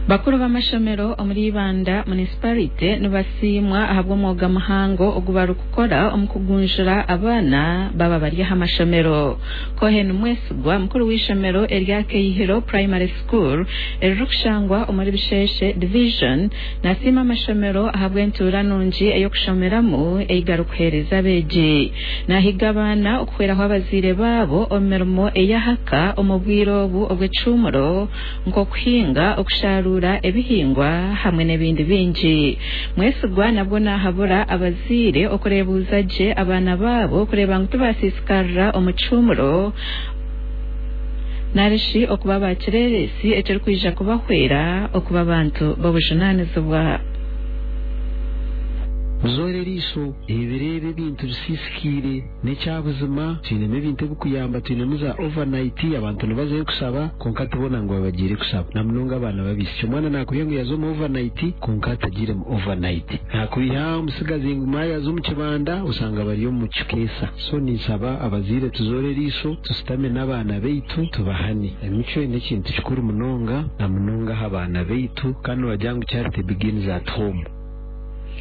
Bakuru b'amashomero omuri Ibanda munisiparite nibasiimwa ahabw'omwoga muhango ogu barikukora omu kugunjura abaana baba bari aha mashomero. Cohen Mwesigwa mukuru w'eishomero erya Keihiro Primary School eririkushangwa omuri Bisheshe Division nasiima amashomero ahabw'entuura nungi ey'okushomeramu ei garikuheereza abeegi. Nahiga abaana okuhweraho abazaire baabo omu mirimo ey'ahaka omu bwire obu obw'ekihuumuro nk'okuhinga, okusharuura ebihingwa hamwe n'ebindi bingi. Mwesigwa nabwo nahabura abazaire okureebuuza gye abaana baabo kureeba ngu tibasiisikarira omu kihuumuro narishi okuba bakireeresi ekirikwija kubahwera okuba abantu b'obujunaanizibwa. Muzoore eriisho, ebireebe ebintu bisiisikaire. N'ekya buzima, twinemu ebintu ebikuyamba, twinemu za overnight, abantu nibazayo kushaba, kwonka tibona ngu babagiire kushaba, namunonga abaana b'abaishiki. Omwana naakwiha ngu yaza omu overnight, kwonka atagiire mu overnight. Naakwiha omutsigazi ngu maaya yaza omu kibanda, oshanga bari omu kikeesa. So ninshaba abazaire tuzoore eriisho, tushutame n'abaana baitu tubahane. Emicwe n'ekintu kikuru munonga, namunonga aha baana baitu, kandi nibagira ngu charity begins at home.